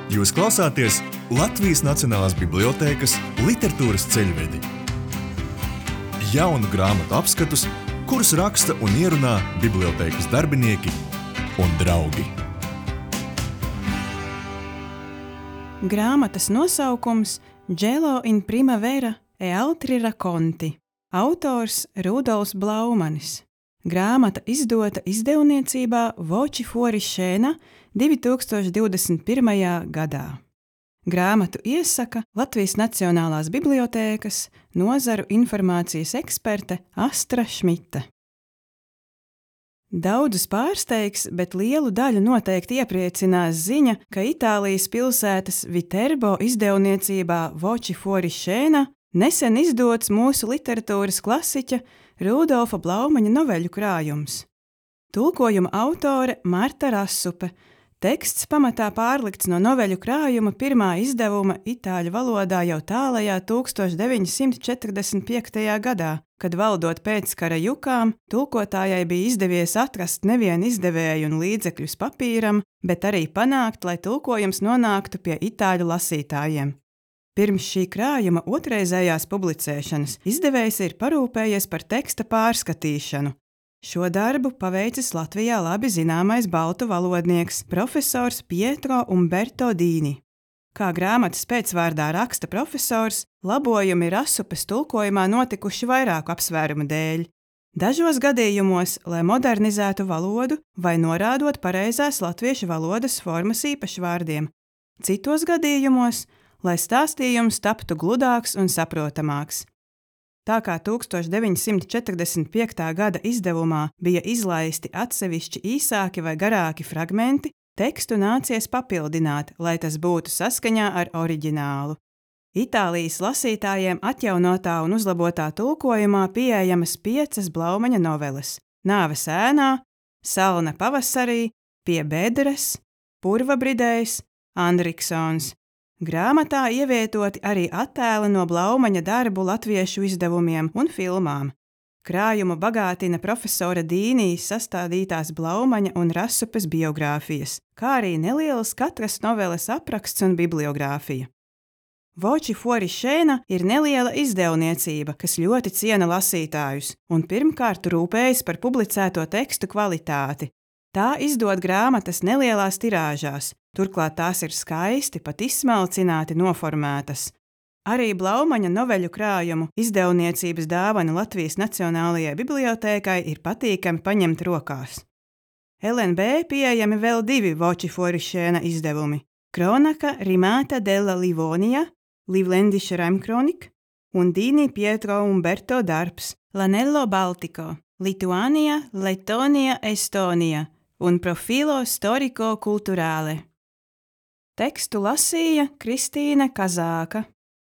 Jūs klausāties Latvijas Nacionālās bibliotēkas literatūras ceļvedi. Jaunu grāmatu apskatus, kurus raksta un ierunā bibliotēkas darbinieki un draugi. Grāmatas nosaukums Gelo in primavera e altri racconti. Autors Rudolfs Blaumanis. Grāmata izdota izdevniecībā Voci fuori scena 2021. gadā. Grāmatu iesaka Latvijas Nacionālās bibliotēkas nozaru informācijas eksperte Astra Šmita. Daudzus pārsteigs, bet lielu daļu noteikti iepriecinās ziņa, ka Itālijas pilsētas Viterbo izdevniecībā Voci fuori scena nesen izdots mūsu literatūras klasiķa Rudolfa Blaumaņa noveļu krājums. Tulkojuma autore Marta Rasupe. Teksts pamatā pārlikts no noveļu krājuma pirmā izdevuma itāļu valodā jau tālajā 1945. gadā, kad valdot pēckara jukām, tulkotājai bija izdevies atrast nevienu izdevēju un līdzekļus papīram, bet arī panākt, lai tulkojums nonāktu pie itāļu lasītājiem. Pirms šī krājuma otrreizējās publicēšanas izdevējs ir parūpējies par teksta pārskatīšanu. Šo darbu paveicis Latvijā labi zināmais baltu valodnieks profesors Pietro Umberto Dini. Kā grāmatas pēcvārdā raksta profesors, labojumi Rasupes tulkojumā notikuši vairāku apsvērumu dēļ. Dažos gadījumos, lai modernizētu valodu vai norādot pareizās latviešu valodas formas īpašvārdiem. Citos gadījumos, lai stāstījums taptu gludāks un saprotamāks. Tā kā 1945. gada izdevumā bija izlaisti atsevišķi īsāki vai garāki fragmenti, tekstu nācies papildināt, lai tas būtu saskaņā ar oriģinālu. Itālijas lasītājiem atjaunotā un uzlabotā tulkojumā pieejamas 5 Blaumaņa noveles – Nāves ēnā, Salna pavasarī, Pie bedres, Purvabridējs, Andriksons. Grāmatā ievietoti arī attēli no Blaumaņa darbu latviešu izdevumiem un filmām. Krājumu bagātina profesora Dīnī sastādītās Blaumaņa un Rasupes biogrāfijas, kā arī nelielas katras noveles apraksts un bibliogrāfija. Voci fuori scena ir neliela izdevniecība, kas ļoti ciena lasītājus un pirmkārt rūpējas par publicēto tekstu kvalitāti. Tā izdod grāmatas nelielās tirāžās, turklāt tās ir skaisti, pat izsmalcināti noformētas. Arī Blaumaņa noveļu krājumu izdevniecības dāvana Latvijas Nacionālajai bibliotēkai ir patīkami paņemt rokās. LNB pieejami vēl 2 Voci fuori scena izdevumi – Cronaca rimata della Livonia, Livlendische Reimchronik un Dini Pietro Umberto darbs L'anello Baltico, Lituania, Lettonia, Estonia un Profilo storico culturale. Tekstu lasīja Kristīne Kazāka.